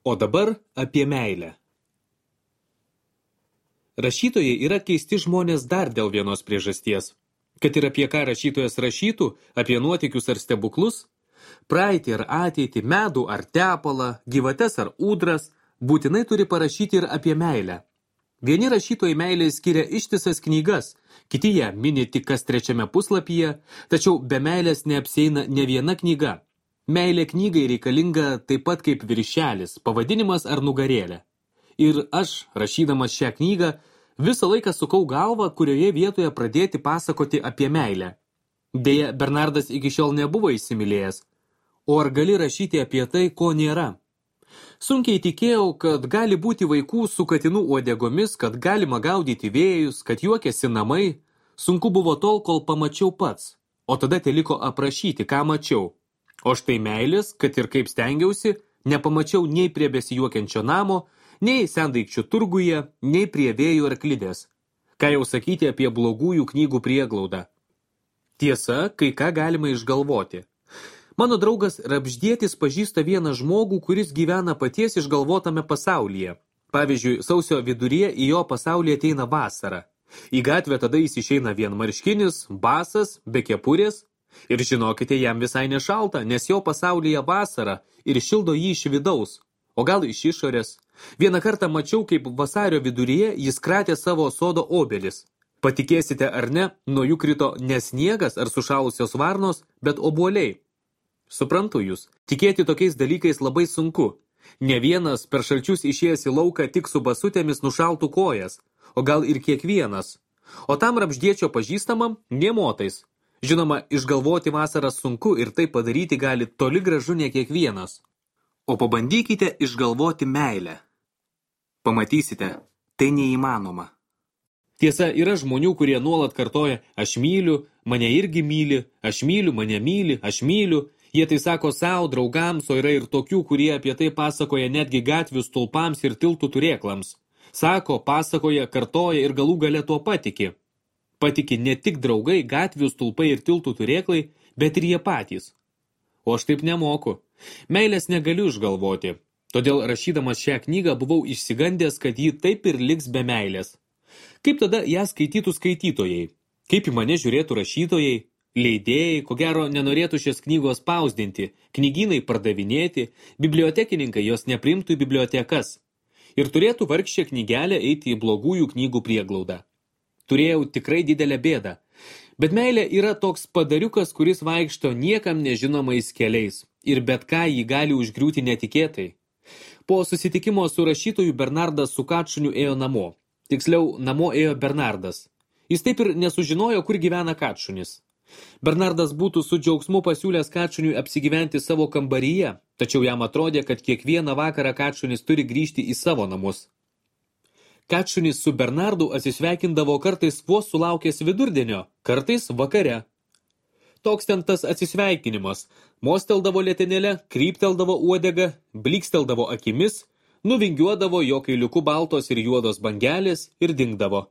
O dabar apie meilę. Rašytojai yra keisti žmonės dar dėl vienos priežasties. Kad ir apie ką rašytojas rašytų, apie nuotykius ar stebuklus, praeitį ar ateitį, medų ar tepalą, gyvates ar ūdras, būtinai turi parašyti ir apie meilę. Vieni rašytojai meilė skiria ištisas knygas, kiti ją mini tik kas 3 puslapyje, tačiau be meilės neapsieina ne viena knyga. Meilė knygai reikalinga taip pat kaip viršelis, pavadinimas ar nugarėlė. Ir aš, rašydamas šią knygą, visą laiką sukau galvą, kurioje vietoje pradėti pasakoti apie meilę. Deja, Bernardas iki šiol nebuvo įsimylėjęs. O ar gali rašyti apie tai, ko nėra? Sunkiai tikėjau, kad gali būti vaikų su katinų uodegomis, kad galima gaudyti vėjus, kad juokiasi namai. Sunku buvo tol, kol pamačiau pats. O tada teliko aprašyti, ką mačiau. O štai meilės, kad ir kaip stengiausi, nepamačiau nei prie besijuokiančio namo, nei sendaikčių turguje, nei prie vėjų arklidės. Ką jau sakyti apie blogųjų knygų prieglaudą. Tiesa, kai ką galima išgalvoti. Mano draugas Rabždietis pažįsta vieną žmogų, kuris gyvena paties išgalvotame pasaulyje. Pavyzdžiui, sausio viduryje į jo pasaulį ateina vasara. Į gatvę tada jis išeina vienmarškinis, basas, be kepurės. Ir žinokite, jam visai nešalta, nes jo pasaulyje vasara ir šildo jį iš vidaus, o gal iš išorės. Vieną kartą mačiau, kaip vasario viduryje jis kratė savo sodo obelis. Patikėsite ar ne, nuo jų krito ne sniegas ar sušalusios varnos, bet obuoliai. Suprantu jūs, tikėti tokiais dalykais labai sunku. Ne vienas per šalčius išėjęs į lauką tik su basutėmis nušaltų kojas, o gal ir kiekvienas. O tam Rabždiečio pažįstamam nė motais. Žinoma, išgalvoti vasarą sunku ir tai padaryti gali toli gražu ne kiekvienas. O pabandykite išgalvoti meilę. Pamatysite, tai neįmanoma. Tiesa, yra žmonių, kurie nuolat kartoja aš myliu, mane irgi myli, aš myliu, mane myli, aš myliu. Jie tai sako savo draugams, o yra ir tokių, kurie apie tai pasakoja netgi gatvių stulpams ir tiltų turėklams. Sako, pasakoja, kartoja ir galų gale tuo patiki. Patiki ne tik draugai, gatvių stulpai ir tiltų turėklai, bet ir jie patys. O aš taip nemoku. Meilės negaliu išgalvoti. Todėl rašydamas šią knygą buvau išsigandęs, kad ji taip ir liks be meilės. Kaip tada ją skaitytų skaitytojai? Kaip į mane žiūrėtų rašytojai? Leidėjai, ko gero, nenorėtų šios knygos spausdinti, knygynai pardavinėti, bibliotekininkai jos neprimtų į bibliotekas. Ir turėtų vargšę knygelę eiti į blogųjų knygų prieglaudą. Turėjau tikrai didelę bėdą. Bet meilė yra toks padariukas, kuris vaikšto niekam nežinomais keliais ir bet ką jį gali užgriūti netikėtai. Po susitikimo su rašytoju Bernardas su Kačuniu ėjo namo. Tiksliau, namo ėjo Bernardas. Jis taip ir nesužinojo, kur gyvena Kačunis. Bernardas būtų su džiaugsmu pasiūlęs Kačuniui apsigyventi savo kambaryje, tačiau jam atrodė, kad kiekvieną vakarą Kačunis turi grįžti į savo namus. Kačunis su Bernardu atsisveikindavo kartais vos sulaukęs vidurdienio, kartais vakare. Toks ten tas atsisveikinimas. Mosteldavo letenėlę, krypteldavo uodegą, bliksteldavo akimis, nuvingiuodavo jo kailiuku baltos ir juodos bangelės ir dingdavo.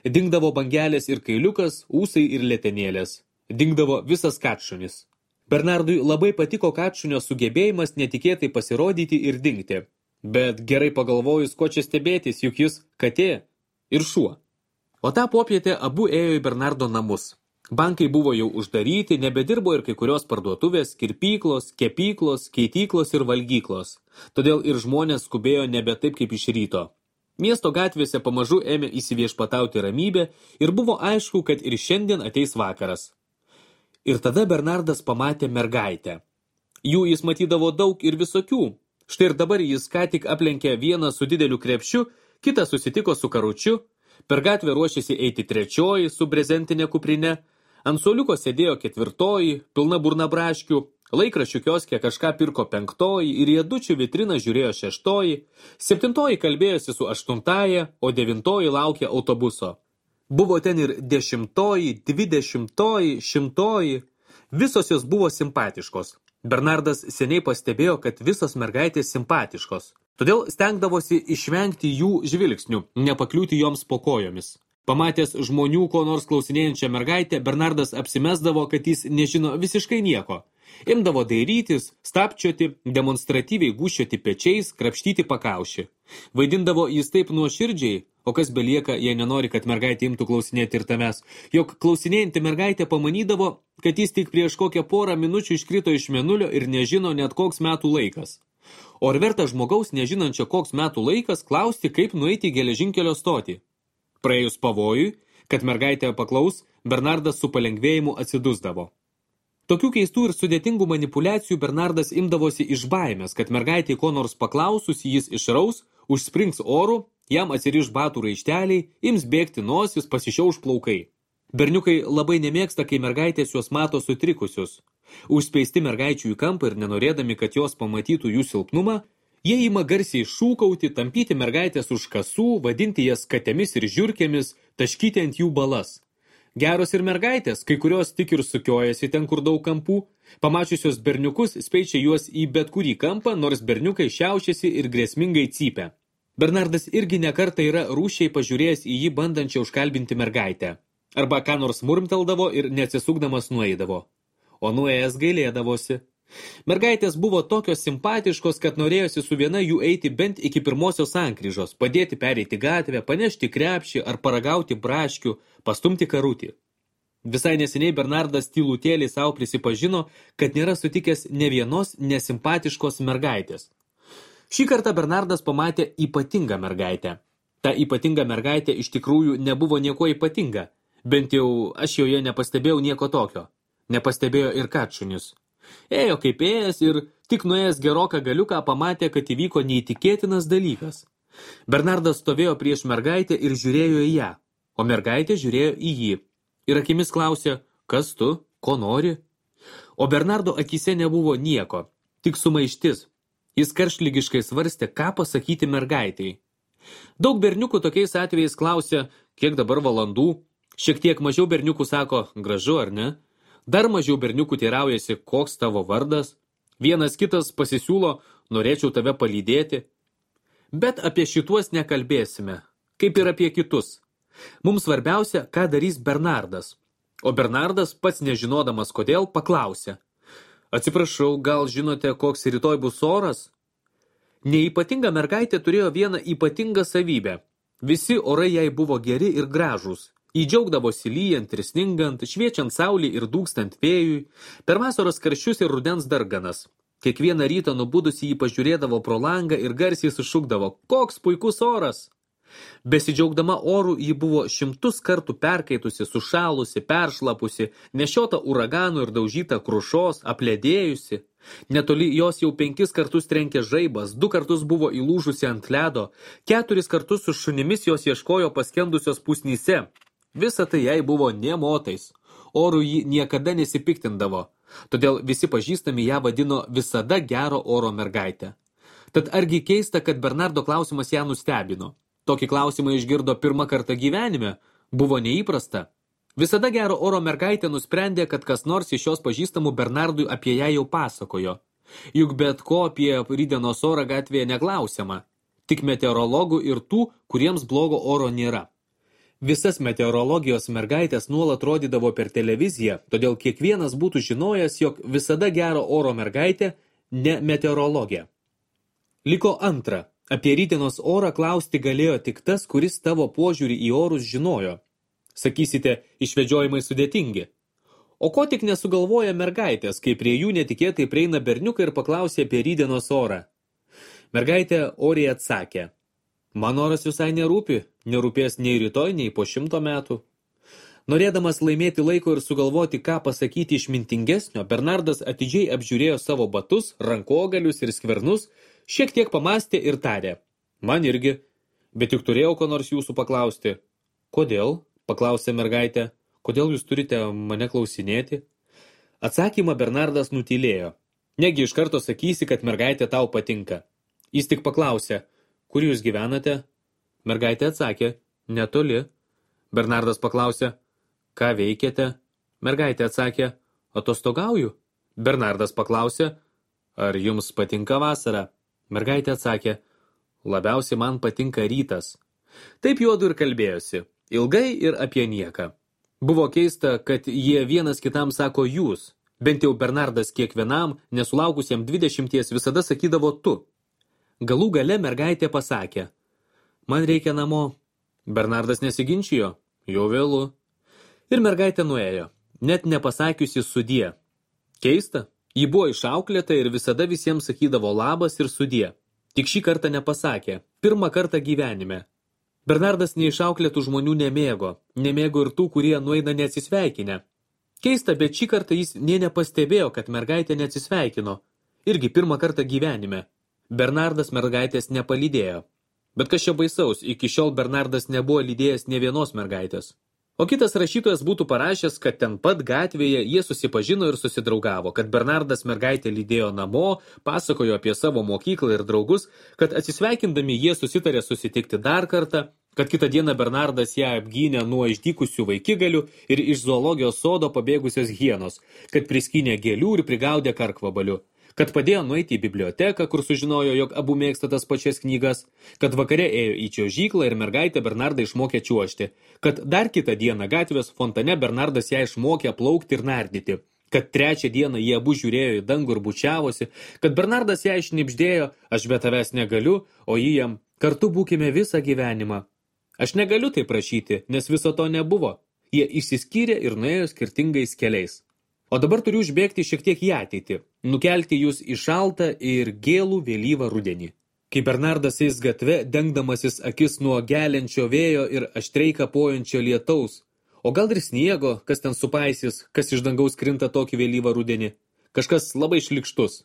Dingdavo bangelės ir kailiukas, ūsai ir letenėlės. Dingdavo visas Kačunis. Bernardui labai patiko Kačunio sugebėjimas netikėtai pasirodyti ir dingti. Bet gerai pagalvojus, ko čia stebėtis, juk jis katė ir šuo. O tą popietę abu ėjo į Bernardo namus. Bankai buvo jau uždaryti, nebedirbo ir kai kurios parduotuvės, kirpyklos, kepyklos, keityklos ir valgyklos. Todėl ir žmonės skubėjo nebe taip kaip iš ryto. Miesto gatvėse pamažu ėmė įsiviešpatauti ramybė ir buvo aišku, kad ir šiandien ateis vakaras. Ir tada Bernardas pamatė mergaitę. Jų jis matydavo daug ir visokių. Štai ir dabar jis ką tik aplenkė vieną su dideliu krepšiu, kitą susitiko su karučiu, per gatvę ruošėsi eiti trečioji su brezentinė kuprine, ant suoliuko sėdėjo ketvirtoji, pilna burna braškių, laikraščių kioske kažką pirko penktoji ir riedučių vitriną žiūrėjo šeštoji, septintoji kalbėjosi su aštuntaja, o devintoji laukė autobuso. Buvo ten ir 10, 20, 100, visos jos buvo simpatiškos. Bernardas seniai pastebėjo, kad visos mergaitės simpatiškos. Todėl stengdavosi išvengti jų žvilgsnių, nepakliūti joms po kojomis. Pamatęs žmonių ko nors klausinėjančią mergaitę, Bernardas apsimesdavo, kad jis nežino visiškai nieko. Imdavo dairytis, stapčioti, demonstratyviai gūščioti pečiais, krapštyti pakaušį. Vaidindavo jis taip nuoširdžiai, o kas belieka, jei nenori, kad mergaitė imtų klausinėti ir tavęs, jog klausinėjanti mergaitė pamanydavo, kad jis tik prieš kokią porą minučių iškrito iš mėnulio ir nežino net koks metų laikas. O ar verta žmogaus, nežinančio koks metų laikas, klausti, kaip nueiti į geležinkelio stotį? Praėjus pavojui, kad mergaitė paklaus, Bernardas su palengvėjimu atsidusdavo. Tokių keistų ir sudėtingų manipulacijų Bernardas imdavosi iš baimės, kad mergaitė ko nors paklausus jis išraus, užsprings oru, jam atsiriš batų raišteliai, ims bėgti nosis, pasišiauš plaukai. Berniukai labai nemėgsta, kai mergaitės juos mato sutrikusius. Užspeisti mergaičių į kampą ir nenorėdami, kad jos pamatytų jų silpnumą, jie ima garsiai šūkauti, tampyti mergaitės už kasų, vadinti jas katėmis ir žiurkėmis, taškyti ant jų balas. Geros ir mergaitės, kai kurios tik ir sukiojasi ten, kur daug kampų, pamačiusios berniukus speičia juos į bet kurį kampą, nors berniukai šiaušiasi ir grėsmingai cypia. Bernardas irgi nekartą yra rūšiai pažiūrėjęs į jį bandančią užkalbinti mergaitę. Arba ką nors murmteldavo ir neatsisukdamas nueidavo. O nuėjęs gailėdavosi. Mergaitės buvo tokios simpatiškos, kad norėjosi su viena jų eiti bent iki pirmosios sankryžos, padėti pereiti gatvę, panešti krepšį ar paragauti braškių, pastumti karutį. Visai neseniai Bernardas tylutėliai savo prisipažino, kad nėra sutikęs ne vienos nesimpatiškos mergaitės. Šį kartą Bernardas pamatė ypatingą mergaitę. Ta ypatinga mergaitė iš tikrųjų nebuvo nieko ypatinga, bent jau aš joje nepastebėjau nieko tokio. Nepastebėjo ir kačunis. Ėjo kaip ėjęs ir tik nuėjęs geroką galiuką pamatė, kad įvyko neįtikėtinas dalykas. Bernardas stovėjo prieš mergaitę ir žiūrėjo į ją, o mergaitė žiūrėjo į jį. Ir akimis klausė, kas tu, ko nori? O Bernardo akise nebuvo nieko, tik sumaištis. Jis karštligiškai svarstė, ką pasakyti mergaitei. Daug berniukų tokiais atvejais klausė, kiek dabar valandų. Šiek tiek mažiau berniukų sako, gražu ar ne? Dar mažiau berniukų teiraujasi, koks tavo vardas. Vienas kitas pasisiūlo, norėčiau tave palydėti. Bet apie šituos nekalbėsime, kaip ir apie kitus. Mums svarbiausia, ką darys Bernardas. O Bernardas, pats nežinodamas kodėl, paklausė. Atsiprašau, gal žinote, koks rytoj bus oras? Neypatinga mergaitė turėjo vieną ypatingą savybę. Visi orai jai buvo geri ir gražūs. Įdžiaugdavosi lyjant ir sningant, šviečiant saulį ir dūkstant vėjui, per vasaros karščius ir rudens darganas. Kiekvieną rytą nubudusi jį pažiūrėdavo pro langą ir garsiai sušukdavo, koks puikus oras. Besidžiaugdama oru, ji buvo 100 kartų perkaitusi, sušalusi, peršlapusi, nešiota uraganų ir daužyta krušos, apledėjusi. Netoli jos jau 5 kartus trenkė žaibas, 2 kartus buvo įlūžusi ant ledo, 4 kartus su šunimis jos ieškojo paskendusios pusnyse. Visa tai jai buvo nė motais. Oru ji niekada nesipiktindavo, todėl visi pažįstami ją vadino visada gero oro mergaitę. Tad argi keista, kad Bernardo klausimas ją nustebino. Tokį klausimą išgirdo pirmą kartą gyvenime, buvo neįprasta. Visada gero oro mergaitė nusprendė, kad kas nors iš jos pažįstamų Bernardui apie ją jau pasakojo. Juk bet ko apie rytdienos orą gatvėje neklausiama, tik meteorologų ir tų, kuriems blogo oro nėra. Visas meteorologijos mergaitės nuolat rodydavo per televiziją, todėl kiekvienas būtų žinojęs, jog visada gero oro mergaitė ne meteorologė. Liko antra. Apie rytdienos orą klausti galėjo tik tas, kuris tavo požiūrį į orus žinojo. Sakysite, išvedžiojimai sudėtingi. O ko tik nesugalvoja mergaitės, kai prie jų netikėtai prieina berniukai ir paklausė apie rytdienos orą. Mergaitė oriai atsakė. Man oras visai nerūpi, nerūpės nei rytoj, nei po 100 metų. Norėdamas laimėti laiko ir sugalvoti, ką pasakyti išmintingesnio, Bernardas atidžiai apžiūrėjo savo batus, rankogalius ir skvernus, šiek tiek pamastė ir tarė. Man irgi, bet juk turėjau ko nors jūsų paklausti. Kodėl? Paklausė mergaitė. Kodėl jūs turite mane klausinėti? Atsakymą Bernardas nutylėjo. Negi iš karto sakysi, kad mergaitė tau patinka. Jis tik paklausė. Kur jūs gyvenate? Mergaitė atsakė, netoli. Bernardas paklausė, ką veikiate? Mergaitė atsakė, atostogauju. Bernardas paklausė, ar jums patinka vasara? Mergaitė atsakė, labiausiai man patinka rytas. Taip juodu ir kalbėjosi, ilgai ir apie nieką. Buvo keista, kad jie vienas kitam sako jūs, Bent jau Bernardas kiekvienam, nesulaukusiam 20 visada sakydavo tu. Galų gale mergaitė pasakė, man reikia namo. Bernardas nesiginčijo, jau vėlu. Ir mergaitė nuėjo, net nepasakiusi sudie. Keista, ji buvo išauklėta ir visada visiems sakydavo labas ir sudie. Tik šį kartą nepasakė, pirmą kartą gyvenime. Bernardas neišauklėtų žmonių nemėgo ir tų, kurie nueina neatsisveikinę. Keista, bet šį kartą jis nė nepastebėjo, kad mergaitė neatsisveikino. Irgi pirmą kartą gyvenime. Bernardas mergaitės nepalydėjo. Bet kas čia baisaus, iki šiol Bernardas nebuvo lydėjęs nė vienos mergaitės. O kitas rašytojas būtų parašęs, kad ten pat gatvėje jie susipažino ir susidraugavo, kad Bernardas mergaitę lydėjo namo, pasakojo apie savo mokyklą ir draugus, kad atsisveikindami jie susitarė susitikti dar kartą, kad kitą dieną Bernardas ją apgynė nuo išdykusių vaikigalių ir iš zoologijos sodo pabėgusios hienos, kad priskynė gėlių ir prigaudė karkvabalių, kad padėjo nueiti į biblioteką, kur sužinojo, jog abu mėgsta tas pačias knygas, kad vakare ėjo į čiuožyklą ir mergaitė Bernardą išmokė čiuožti, kad dar kitą dieną gatvės fontane Bernardas ją išmokė plaukti ir nardyti, kad trečią dieną jie abu žiūrėjo į dangų ir bučiavosi, kad Bernardas ją išnibždėjo, aš be tavęs negaliu, o jį jam, kartu būkime visą gyvenimą. Aš negaliu tai prašyti, nes viso to nebuvo. Jie išsiskyrė ir nuėjo skirtingais keliais. O dabar turiu užbėgti šiek tiek į ateitį, nukelti jūs į šaltą ir gėlų vėlyvą rudenį. Kai Bernardas eis gatve, dengdamasis akis nuo geliančio vėjo ir aštriai kapojančio lietaus, o gal ir sniego, kas ten supaisys, kas iš dangaus krinta tokį vėlyvą rudenį, kažkas labai šlikštus.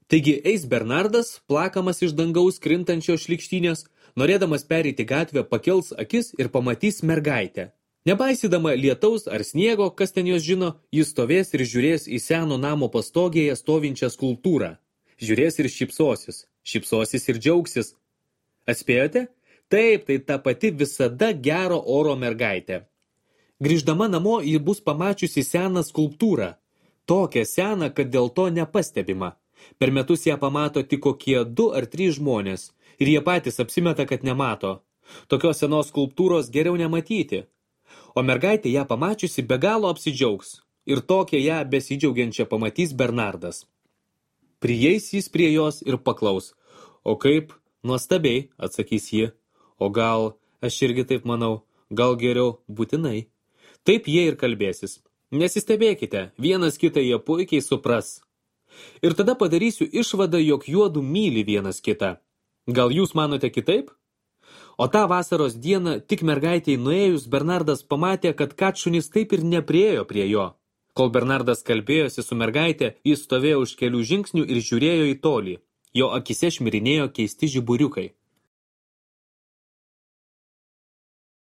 Taigi eis Bernardas, plakamas iš dangaus krintančio šlikštynės, norėdamas pereiti gatvę, pakels akis ir pamatys mergaitę. Nepaisydama lietaus ar sniego, kas ten jos žino, jis stovės ir žiūrės į seno namo pastogėje stovinčią skulptūrą. Žiūrės ir šypsosis ir džiaugsis. Atspėjote? Taip, tai ta pati visada gero oro mergaitė. Grįždama namo, ji bus pamačiusi seną skulptūrą. Tokią seną, kad dėl to nepastebima. Per metus ją pamato tik kokie 2 ar 3 žmonės. Ir jie patys apsimeta, kad nemato. Tokios senos skulptūros geriau nematyti. O mergaitė ją pamačiusi be galo apsidžiaugs. Ir tokią ją besidžiaugiančią pamatys Bernardas. Prieis jis prie jos ir paklaus. O kaip? Nuostabiai, atsakys ji. O gal, aš irgi taip manau, gal geriau būtinai. Taip jie ir kalbėsis. Nesistebėkite, vienas kitą jie puikiai supras. Ir tada padarysiu išvadą, jog juodu myli vienas kitą. Gal jūs manote kitaip? O tą vasaros dieną, tik mergaitei nuėjus, Bernardas pamatė, kad katšunis taip ir nepriėjo prie jo. Kol Bernardas kalbėjosi su mergaitė, jis stovėjo už kelių žingsnių ir žiūrėjo į tolį. Jo akise šmirinėjo keisti žiburiukai.